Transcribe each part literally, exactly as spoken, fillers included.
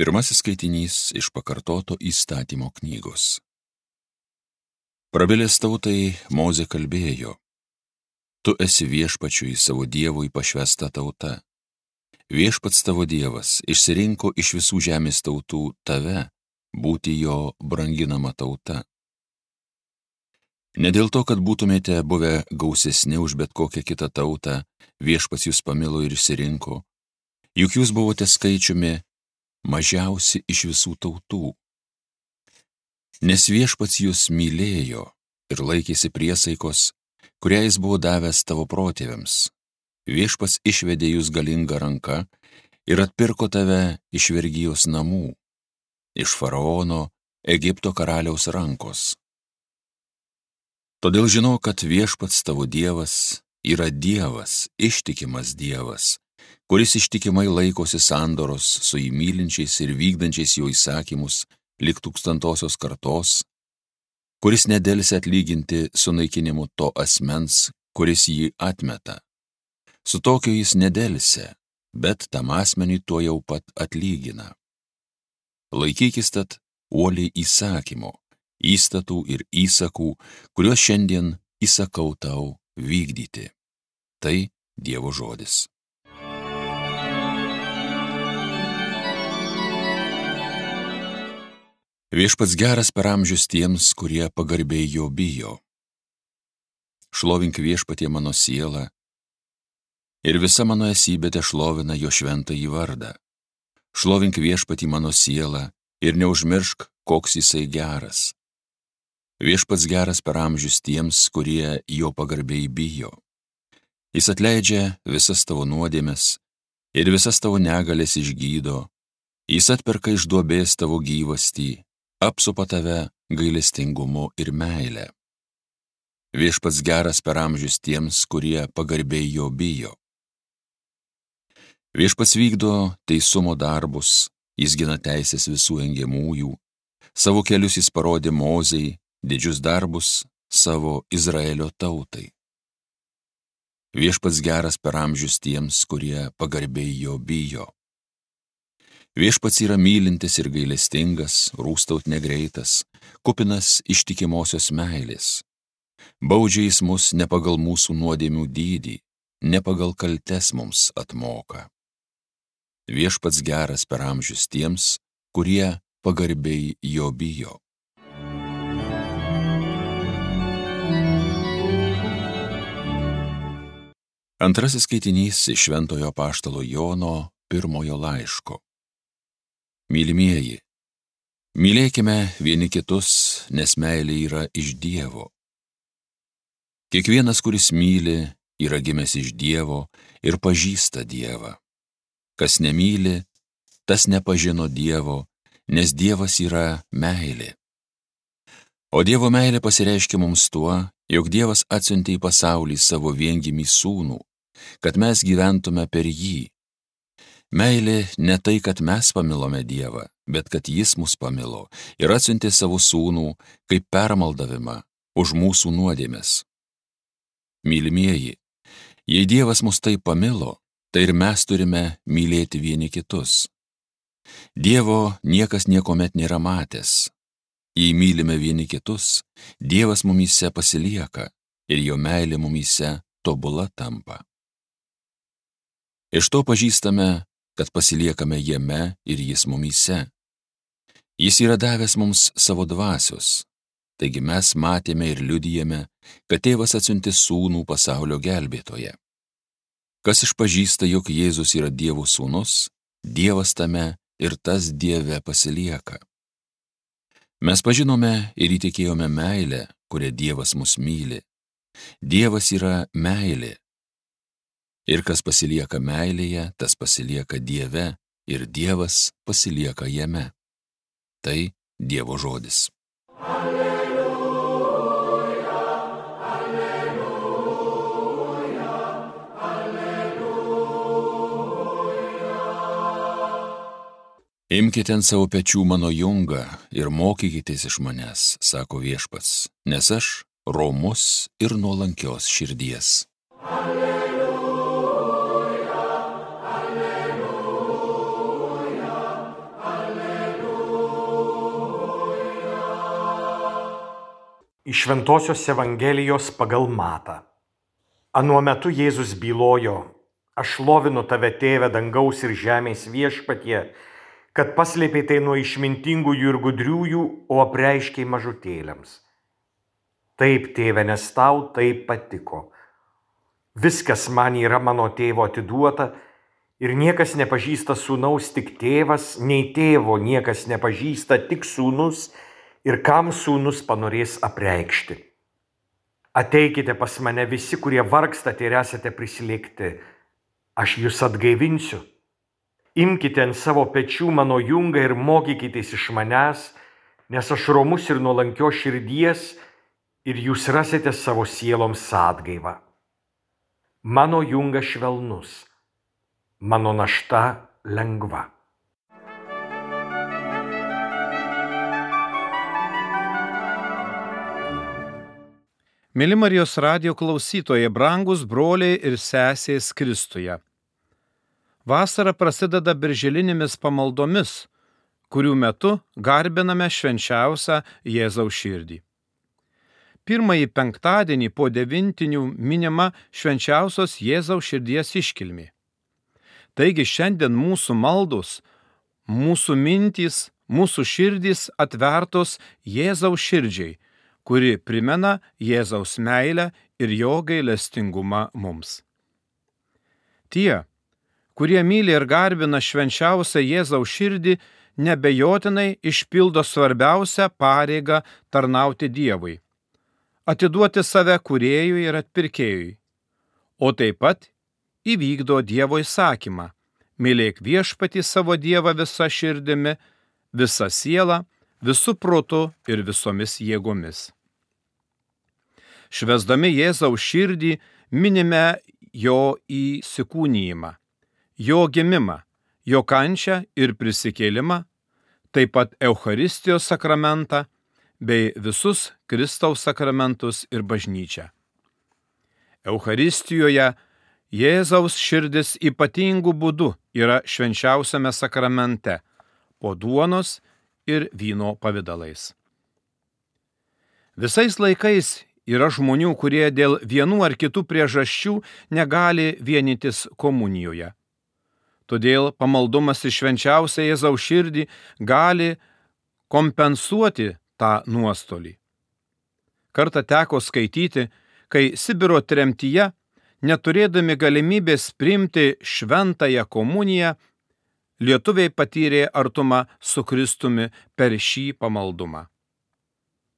Pirmasis skaitinys iš pakartoto įstatymo knygos. Prabilęs tautai Mozė kalbėjo: Tu esi viešpačiui savo Dievui pašvęsta tauta. Viešpats tavo Dievas išsirinko iš visų žemės tautų tave būti jo branginama tauta. Ne dėl to, kad būtumėte buvę gausesni už bet kokią kitą tautą, viešpats jūs pamilo ir išsirinko, juk jūs buvote skaičiumi mažiausi iš visų tautų. Nes viešpats jūs mylėjo ir laikėsi priesaikos, kurią jis buvo davęs tavo protėviams. Viešpats išvedė jūs galingą ranką ir atpirko tave iš vergijos namų, iš faraono, Egipto karaliaus rankos. Todėl žinau, kad viešpats tavo Dievas yra Dievas, ištikimas Dievas, kuris ištikimai laikosi sandoros su jį mylinčiais ir vykdančiais jo įsakymus lig tūkstantosios kartos, kuris nedelsia atlyginti sunaikinimu to asmens, kuris jį atmeta. Su tokiu jis nedelsia, bet tam asmeniui tuo jau pat atlygina. Laikykis tad uoliai įsakymo, įstatų ir įsakų, kuriuos šiandien įsakau tau vykdyti. Tai Dievo žodis. Viešpats geras per amžius tiems, kurie pagarbiai jo bijo. Šlovink viešpatie mano siela, ir visa mano esybė tešlovina jo šventąjį vardą. Šlovink viešpatį mano siela ir neužmiršk, koks jisai geras. Viešpats geras per amžius tiems, kurie jo pagarbiai bijo. Jis atleidžia visas tavo nuodėmes ir visas tavo negalės išgydo. Jis atperka iš duobės tavo gyvastį, apsupa tave gailestingumu ir meile. Viešpats geras per amžius tiems, kurie pagarbiai jo bijo. Viešpats vykdo teisumo darbus, jis gina teisės visų engiamųjų, savo kelius jis parodė Mozei, didžius darbus savo Izraelio tautai. Viešpats geras per amžius tiems, kurie pagarbiai jo bijo. Viešpats yra mylintis ir gailestingas, rūstaut negreitas, kupinas ištikimosios meilės. Baudžia jis mus ne pagal mūsų nuodėmių dydį, ne pagal kaltes mums atmoka. Viešpats geras per amžius tiems, kurie pagarbiai jo bijo. Antrasis skaitinys iš Šventojo apaštalo Jono pirmojo laiško. Mylimieji, mylėkime vieni kitus, nes meilė yra iš Dievo. Kiekvienas, kuris myli, yra gimęs iš Dievo ir pažįsta Dievą. Kas nemyli, tas nepažino Dievo, nes Dievas yra meilė. O Dievo meilė pasireiškia mums tuo, jog Dievas atsiuntė į pasaulį savo viengimį sūnų, kad mes gyventume per jį. Meilė ne tai, kad mes pamilome Dievą, bet kad jis mus pamilo ir atsiuntė savo sūnų kaip permaldavimą už mūsų nuodėmes. Mylimieji, jei Dievas mus taip pamilo, tai ir mes turime mylėti vieni kitus. Dievo niekas niekuomet nėra matęs. Jei mylime vieni kitus, Dievas mumyse pasilieka ir jo meilė mumyse tobula tampa. Iš to pažįstame, kad pasiliekame jame ir jis mumyse. Jis yra davęs mums savo dvasios, taigi mes matėme ir liudijame, kad tėvas atsiuntė sūnų pasaulio gelbėtoje. Kas išpažįsta, jog Jėzus yra Dievo sūnus, Dievas tame ir tas Dieve pasilieka. Mes pažinome ir įtikėjome meilę, kurią Dievas mus myli. Dievas yra meilė. Ir kas pasilieka meilėje, tas pasilieka Dieve ir Dievas pasilieka jame. Tai Dievo žodis. Alleluja, alleluja, alleluja. Imkite ant savo pečių mano jungą ir mokykitės iš manęs, sako viešpats, nes aš romus ir nuolankios širdies. Alleluja. Iš Šventosios Evangelijos pagal Matą. Anuo metu Jėzus bylojo: Aš šlovinu tave, Tėve, dangaus ir žemės viešpatie, kad paslėpei tai nuo išmintingųjų ir gudriųjų, o apreiškei mažutėliams. Taip, Tėve, nes tau taip patiko. Viskas man yra mano tėvo atiduota ir niekas nepažįsta sūnaus, tik tėvas, nei tėvo niekas nepažįsta, tik sūnus ir kam sūnus panorės apreikšti. Ateikite pas mane visi, kurie vargstate ir esate prislėgti, aš jūs atgaivinsiu. Imkite ant savo pečių mano jungą ir mokykitės iš manęs, nes aš romus ir nuolankios širdies, ir jūs rasite savo sieloms atgaivą. Mano jungas švelnus, mano našta lengva. Mėly Marijos radijo klausytojai, brangus broliai ir sesės Kristuje. Vasara prasideda birželinėmis pamaldomis, kurių metu garbiname švenčiausią Jėzaus širdį. Pirmąjį penktadienį po devintinių minima švenčiausios Jėzaus širdies iškilmė. Taigi šiandien mūsų maldos, mūsų mintys, mūsų širdys atvertos Jėzaus širdžiai, kuri primena Jėzaus meilę ir jo gailestingumą mums. Tie, kurie myli ir garbina švenčiausią Jėzaus širdį, nebejotinai išpildo svarbiausią pareigą tarnauti Dievui, atiduoti save kūrėjui ir atpirkėjui, o taip pat įvykdo Dievo įsakymą: mylėk viešpatį savo Dievą visa širdimi, visa siela, visų protu ir visomis jėgomis. Švęsdami Jėzaus širdį minime jo įsikūnijimą, jo gimimą, jo kančią ir prisikėlimą, taip pat Eucharistijos sakramentą bei visus Kristaus sakramentus ir bažnyčią. Eucharistijoje Jėzaus širdis ypatingų būdų yra švenčiausiame sakramente, po duonos ir vyno pavidalais. Visais laikais yra žmonių, kurie dėl vienų ar kitų priežasčių negali vienytis komunijoje. Todėl pamaldumas į švenčiausią Jėzaus širdį gali kompensuoti tą nuostolį. Kartą teko skaityti, kai Sibiro tremtyje, neturėdami galimybės priimti šventąją komuniją, lietuviai patyrė artumą su Kristumi per šį pamaldumą.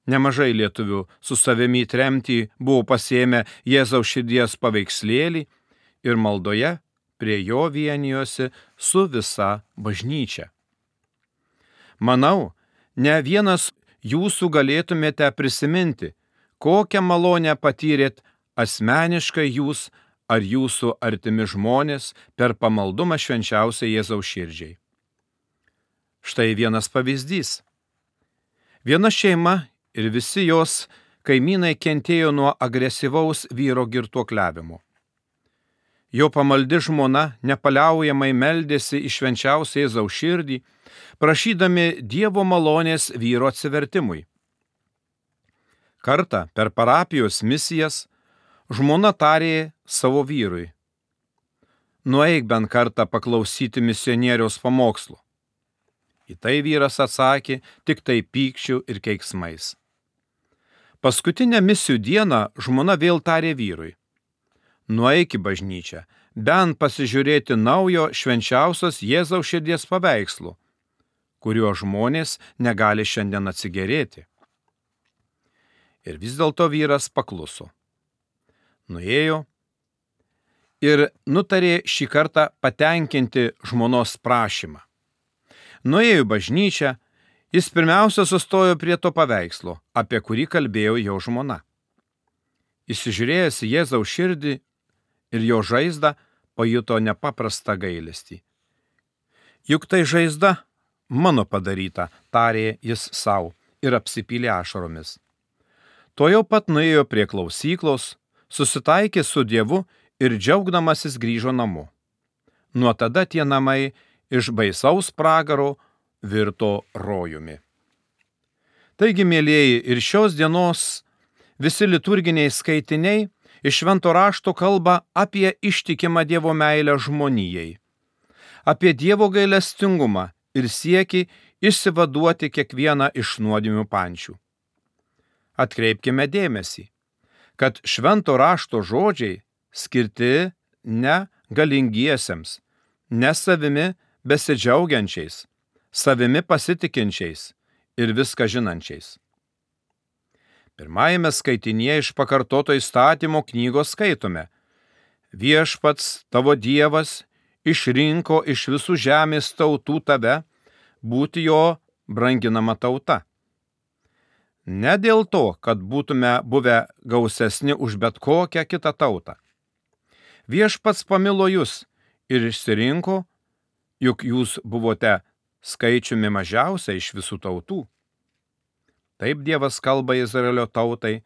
Nemažai lietuvių su savimi į tremtį buvo pasiėmę Jėzaus širdies paveikslėlį ir maldoje prie jo vienijosi su visa bažnyčia. Manau, ne vienas jūsų galėtumėte prisiminti, kokią malonę patyrėt asmeniškai jūs ar jūsų artimi žmonės per pamaldumą švenčiausiai Jėzaus širdžiai. Štai vienas pavyzdys. Viena šeima ir visi jos kaimynai kentėjo nuo agresyvaus vyro girtuokliavimo. Jo pamaldi žmona nepaliaujamai meldėsi į švenčiausią Jėzaus širdį, prašydami Dievo malonės vyro atsivertimui. Kartą per parapijos misijas žmona tarė savo vyrui: nueik bent kartą paklausyti misionieriaus pamokslo. Į tai vyras atsakė tik tai pykčiu ir keiksmais. Paskutinę misijų dieną žmona vėl tarė vyrui: nueik į bažnyčią, bent pasižiūrėti naujo švenčiausios Jėzaus širdies paveikslo, kuriuo žmonės negali šiandien atsigėrėti. Ir vis dėlto vyras pakluso. Nuėjo ir nutarė šį kartą patenkinti žmonos prašymą. Nuėjo į bažnyčią, jis pirmiausia sustojo prie to paveikslo, apie kurį kalbėjo jo žmona. Įsižiūrėjęs į Jėzaus širdį ir jo žaizdą, pajuto nepaprastą gailestį. Juk tai žaizda mano padaryta, tarė jis sau ir apsipylė ašaromis. Tuojau pat nuėjo prie klausyklos, susitaikė su Dievu ir džiaugdamasis grįžo namo. Nuo tada tie namai iš baisaus pragaro virto rojumi. Taigi, mielieji, ir šios dienos visi liturginiai skaitiniai iš švento rašto kalba apie ištikimą Dievo meilę žmonijai, apie Dievo gailestingumą ir siekį išsivaduoti kiekvieną iš nuodėmių pančių. Atkreipkime dėmesį, kad švento rašto žodžiai skirti ne galingiesiems, ne savimi besidžiaugiančiais, savimi pasitikinčiais ir viską žinančiais. Pirmajame skaitinėje iš pakartoto įstatymo knygos skaitome: Viešpats tavo Dievas išrinko iš visų žemės tautų tave būti jo branginama tauta. Ne dėl to, kad būtume buvę gausesni už bet kokią kitą tautą. Viešpats pamilo jūs ir išsirinko, juk jūs buvote skaičiumi mažiausia iš visų tautų. Taip Dievas kalba Izraelio tautai,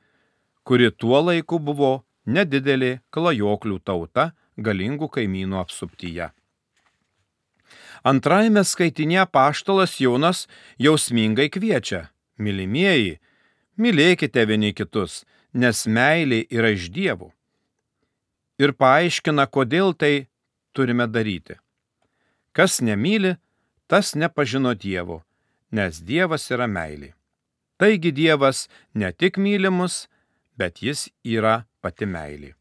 kuri tuo laiku buvo nedidelė klajoklių tauta galingų kaimynų apsuptyje. Antrajame skaitinėje apaštalas Jonas jausmingai kviečia: mylimieji, mylėkite vieni kitus, nes meilė yra iš Dievo. Ir paaiškina, kodėl tai turime daryti. Kas nemyli, tas nepažino Dievo, nes Dievas yra meilė. Taigi Dievas ne tik myli mus, bet jis yra pati meilė.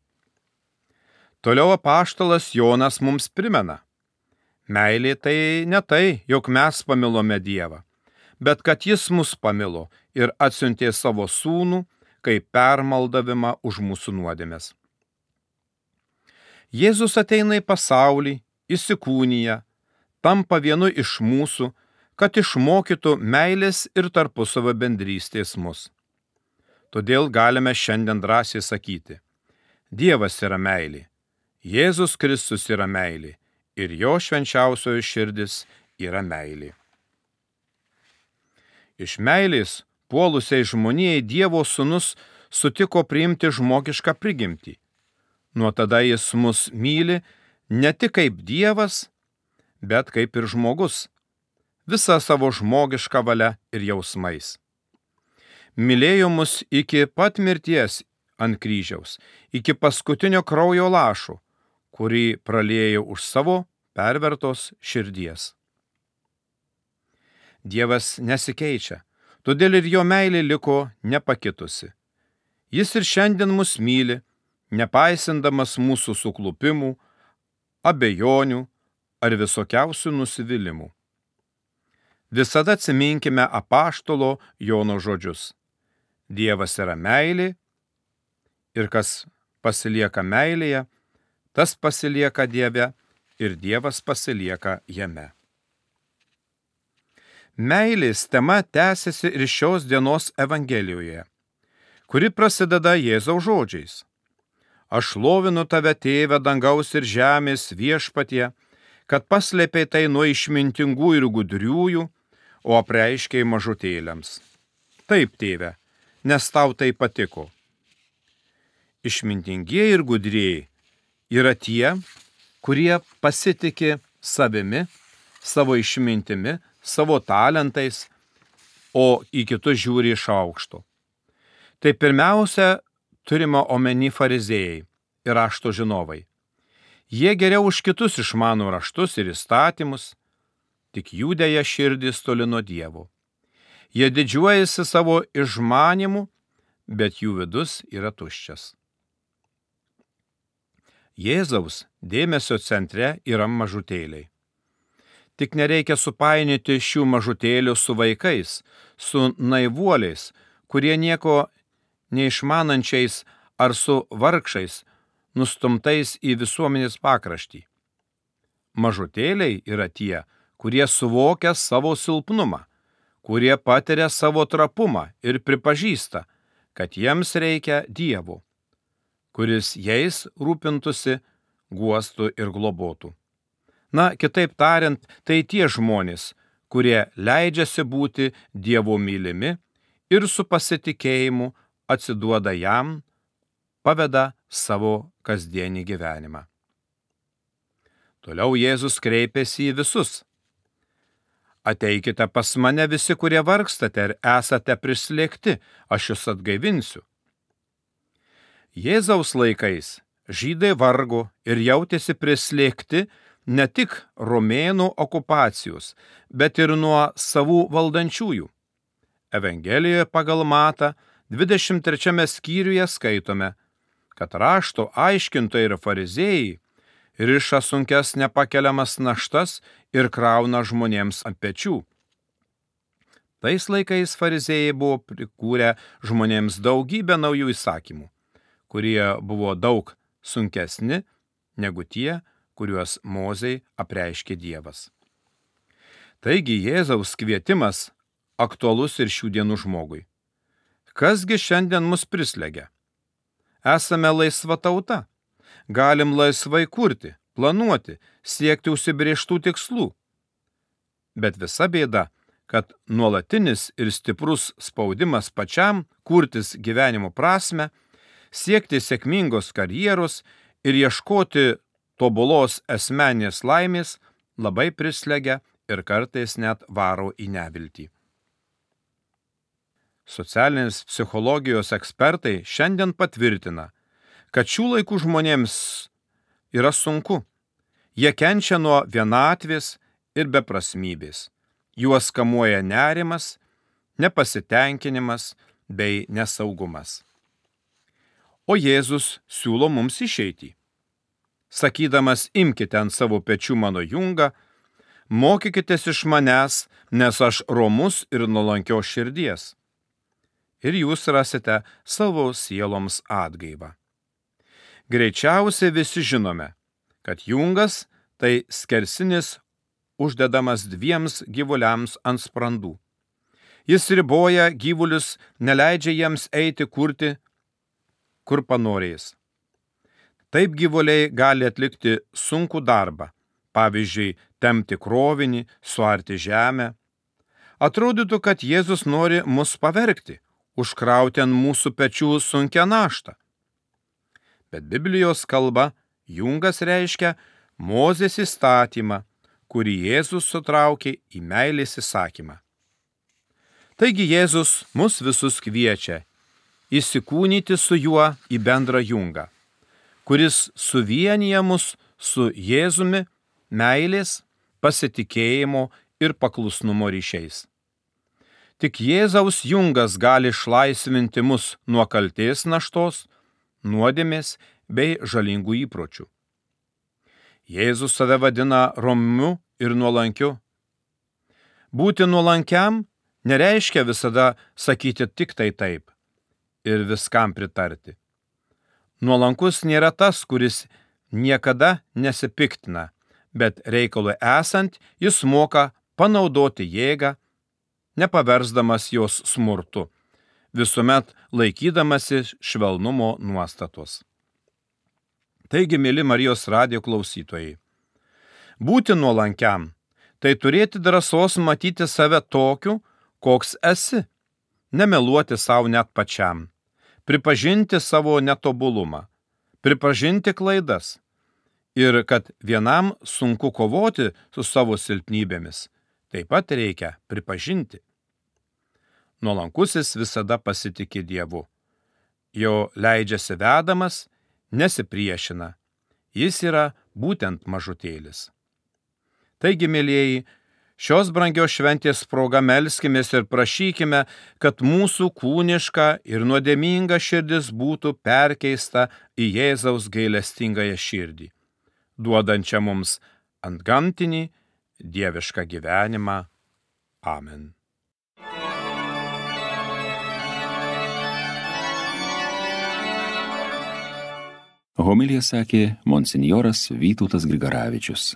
Toliau apaštalas Jonas mums primena: meilė tai ne tai, jog mes pamilome Dievą, bet kad jis mus pamilo ir atsiuntė savo sūnų kaip permaldavimą už mūsų nuodėmes. Jėzus ateina į pasaulį, įsikūnija, tampa vienu iš mūsų, kad išmokytų meilės ir tarpusavio bendrystės mus. Todėl galime šiandien drąsiai sakyti: Dievas yra meilė, Jėzus Kristus yra meilė ir jo švenčiausioji širdis yra meilė. Iš meilės puolusiai žmonijai Dievo sūnus sutiko priimti žmogišką prigimtį. Nuo tada jis mus myli ne tik kaip Dievas, bet kaip ir žmogus, visą savo žmogišką valią ir jausmais. Mylėjo mus iki pat mirties ant kryžiaus, iki paskutinio kraujo lašo, kurį praliejo už savo pervertos širdies. Dievas nesikeičia, todėl ir jo meilė liko nepakitusi. Jis ir šiandien mus myli, nepaisindamas mūsų suklupimų, abejonių ar visokiausių nusivylimų. Visada atsiminkime apaštalo Jono žodžius: Dievas yra meilė ir kas pasilieka meilėje, tas pasilieka Dieve ir Dievas pasilieka jame. Meilės tema tęsiasi ir šios dienos Evangelijoje, kuri prasideda Jėzaus žodžiais: Aš šlovinu tave, Tėve dangaus ir žemės viešpatie, kad paslėpei tai nuo išmintingų ir gudriųjų, o apreiškei mažutėliams. Taip, Tėve, nes tau tai patiko. Išmintingieji ir gudrieji yra tie, kurie pasitiki savimi, savo išmintimi, savo talentais, o į kitus žiūri iš aukšto. Tai pirmiausia turime omeny fariziejai ir rašto žinovai. Jie geriau už kitus išmano raštus ir įstatymus, tik jų dėja širdis toli nuo Dievo. Jie didžiuojasi savo išmanimu, bet jų vidus yra tuščias. Jėzaus dėmesio centre yra mažutėliai. Tik nereikia supainioti šių mažutėlių su vaikais, su naivuoliais, kurie nieko neišmanančiais ar su vargšais, nustumtais į visuomenės pakraštį. Mažutėliai yra tie, kurie suvokia savo silpnumą, kurie patiria savo trapumą ir pripažįsta, kad jiems reikia Dievo, kuris jais rūpintųsi, guostų ir globotų. Na, kitaip tariant, tai tie žmonės, kurie leidžiasi būti Dievo mylimi ir su pasitikėjimu atsiduoda jam, paveda savo kasdienį gyvenimą. Toliau Jėzus kreipėsi į visus. Ateikite pas mane visi, kurie vargstate ir esate prislėgti, aš jūs atgaivinsiu. Jėzaus laikais žydai vargo ir jautėsi prislėgti ne tik romėnų okupacijos, bet ir nuo savų valdančiųjų. Evangelijoje pagal Matą dvidešimt trečiame skyriuje skaitome, kad rašto aiškintojai ir fariziejai riša sunkes nepakeliamas naštas ir krauna žmonėms ant pečių. Tais laikais fariziejai buvo prikūrę žmonėms daugybę naujų įsakymų, kurie buvo daug sunkesni negu tie, kuriuos Mozei apreiškė Dievas. Taigi Jėzaus kvietimas aktualus ir šių dienų žmogui. Kasgi šiandien mus prislegia? Esame laisva tauta. Galim laisvai kurti, planuoti, siekti užsibrėžtų tikslų. Bet visa bėda, kad nuolatinis ir stiprus spaudimas pačiam kurtis gyvenimo prasme, siekti sėkmingos karjeros ir ieškoti tobulos asmeninės laimės labai prislegia ir kartais net varo į neviltį. Socialinės psichologijos ekspertai šiandien patvirtina, kad šių laikų žmonėms yra sunku. Jie kenčia nuo vienatvės ir beprasmybės. Juos kamuoja nerimas, nepasitenkinimas bei nesaugumas. O Jėzus siūlo mums išeitį. Sakydamas, imkite ant savo pečių mano jungą, mokykitės iš manęs, nes aš romus ir nuolankios širdies. Ir jūs rasite savo sieloms atgaivą. Greičiausiai visi žinome, kad jungas tai skersinis uždedamas dviems gyvuliams ant sprandų. Jis riboja gyvulius, neleidžia jiems eiti kurti, kur panorės. Taip gyvuliai gali atlikti sunkų darbą, pavyzdžiui, tempti krovinį, suarti žemę. Atrodytų, kad Jėzus nori mus pavergti, užkrauti ant mūsų pečių sunkią naštą. Bet Biblijos kalba jungas reiškia Mozės įstatymą, kurį Jėzus sutraukė į meilės įsakymą. Taigi Jėzus mus visus kviečia įsikūnyti su juo į bendrą jungą, kuris suvienyja mus su Jėzumi meilės, pasitikėjimo ir paklusnumo ryšiais. Tik Jėzaus jungas gali išlaisvinti mus nuo kaltės naštos, nuodėmės bei žalingų įpročių. Jėzus save vadina romiu ir nuolankiu. Būti nuolankiam nereiškia visada sakyti tik tai taip ir viskam pritarti. Nuolankus nėra tas, kuris niekada nesipiktina, bet reikalui esant jis moka panaudoti jėgą, nepaversdamas jos smurtu, visuomet laikydamasi švelnumo nuostatos. Taigi, mėly Marijos radijo klausytojai, būti nuolankiam, tai turėti drąsos matyti save tokiu, koks esi, nemeluoti savo net pačiam, pripažinti savo netobulumą, pripažinti klaidas ir kad vienam sunku kovoti su savo silpnybėmis, taip pat reikia pripažinti. Nuolankusis visada pasitiki Dievu. Jo leidžiasi vedamas, nesipriešina. Jis yra būtent mažutėlis. Taigi, mėlieji, šios brangios šventės proga melskimės ir prašykime, kad mūsų kūniška ir nuodėminga širdis būtų perkeista į Jėzaus gailestingąją širdį, duodančią mums antgamtinį dievišką gyvenimą. Amen. Homiliją sakė monsinjoras Vytautas Grigaravičius.